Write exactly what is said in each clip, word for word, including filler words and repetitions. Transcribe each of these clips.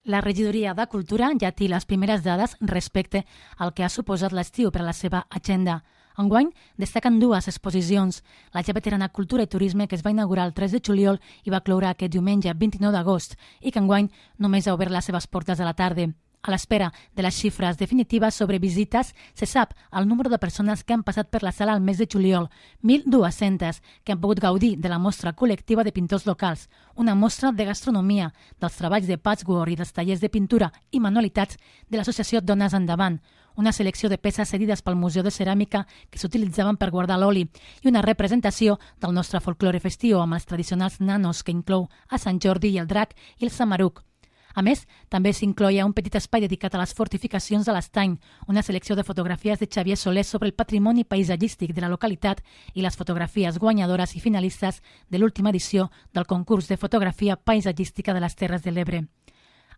La regidoria de Cultura ja té les primeres dades respecte al que ha suposat l'estiu per a la seva agenda. Enguany destaquen dues exposicions. La ja veterana Cultura i Turisme, que es va inaugurar el tres de juliol i va cloure aquest diumenge vint-i-nou d'agost, i que enguany només ha obert les seves portes a la tarda. A l'espera de les xifres definitives sobre visites, se sap el número de persones que han passat per la sala al mes de juliol, mil dues-centes, que han pogut gaudir de la mostra col·lectiva de pintors locals, una mostra de gastronomia, dels treballs de patchwork i dels tallers de pintura i manualitats de l'associació Dones Endavant, una selecció de peces cedides pel Museu de Ceràmica que s'utilitzaven per guardar l'oli i una representació del nostre folklore festiu amb els tradicionals nanos que inclou a Sant Jordi i el drac i el samaruc. A més, també s'incloia un petit espai dedicat a les fortificacions de l'Estany, una selecció de fotografies de Xavier Soler sobre el patrimoni paisatgístic de la localitat i les fotografies guanyadores i finalistes de l'última edició del concurs de fotografia paisatgística de les Terres de l'Ebre.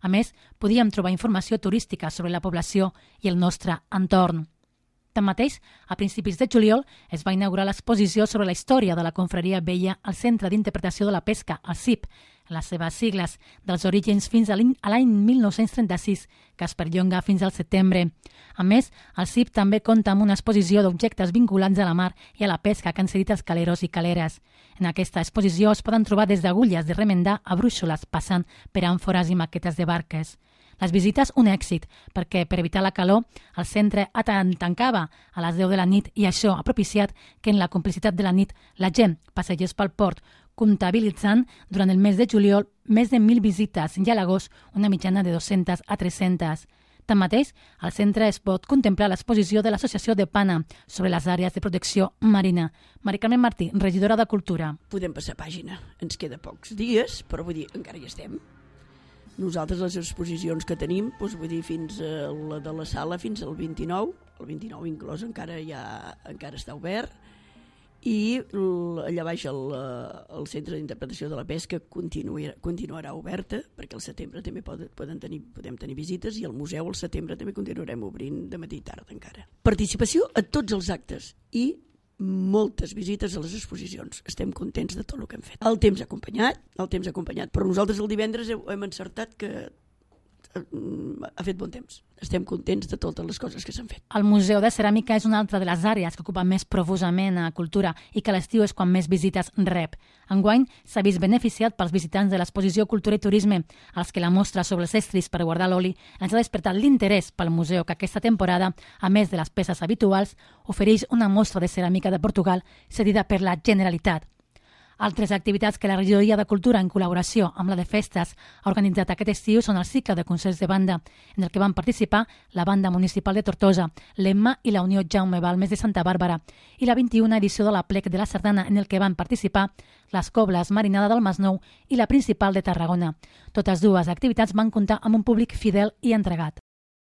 A més, podíem trobar informació turística sobre la població i el nostre entorn. Tanmateix, a principis de juliol es va inaugurar l'exposició sobre la història de la confraria vella al Centre d'Interpretació de la Pesca, el C I P, les seves sigles, dels orígens fins a l'any mil nou-cents trenta-sis, que es perllonga fins al setembre. A més, el C I P també compta amb una exposició d'objectes vinculats a la mar i a la pesca que han cedit els caleros i caleres. En aquesta exposició es poden trobar des d'agulles de remendar a brúixoles, passant per àmfores i maquetes de barques. Les visites, un èxit, perquè per evitar la calor el centre tancava a les deu de la nit i això ha propiciat que en la complicitat de la nit la gent passegés pel port, comptabilitzant durant el mes de juliol més de mil visites i a l'agost una mitjana de dues-centes a tres-centes. Tanmateix, al centre es pot contemplar l'exposició de l'Associació de Pana sobre les àrees de protecció marina. Mari Carmen Martí, regidora de Cultura. Podem passar pàgina, ens queda pocs dies, però vull dir, encara hi estem. Nosaltres les exposicions que tenim, doncs vull dir, fins a la de la sala fins al vint-i-nou, el vint-i-nou inclòs encara ja encara està obert, i allà baix el, el Centre d'Interpretació de la Pesca continuarà, continuarà oberta, perquè al setembre també poden, poden tenir, podem tenir visites, i al museu al setembre també continuarem obrint de matí i tarda encara. Participació a tots els actes i moltes visites a les exposicions. Estem contents de tot el que hem fet. El temps ha acompanyat, el temps ha acompanyat, però nosaltres el divendres hem encertat que ha fet bon temps. Estem contents de totes les coses que s'han fet. El Museu de Ceràmica és una altra de les àrees que ocupa més profusament a Cultura i que a l'estiu és quan més visites rep. Enguany s'ha vist beneficiat pels visitants de l'exposició Cultura i Turisme, als que la mostra sobre els estris per guardar l'oli ens ha despertat l'interès pel museu que aquesta temporada, a més de les peces habituals, ofereix una mostra de ceràmica de Portugal cedida per la Generalitat. Altres activitats que la regidoria de Cultura, en col·laboració amb la de Festes, ha organitzat aquest estiu són el cicle de concerts de banda, en el que van participar la Banda Municipal de Tortosa, l'Emma i la Unió Jaume Balmes de Santa Bàrbara, i la vint-i-una edició de la Plec de la Sardana, en el que van participar les Cobles Marinada del Masnou i la Principal de Tarragona. Totes dues activitats van comptar amb un públic fidel i entregat.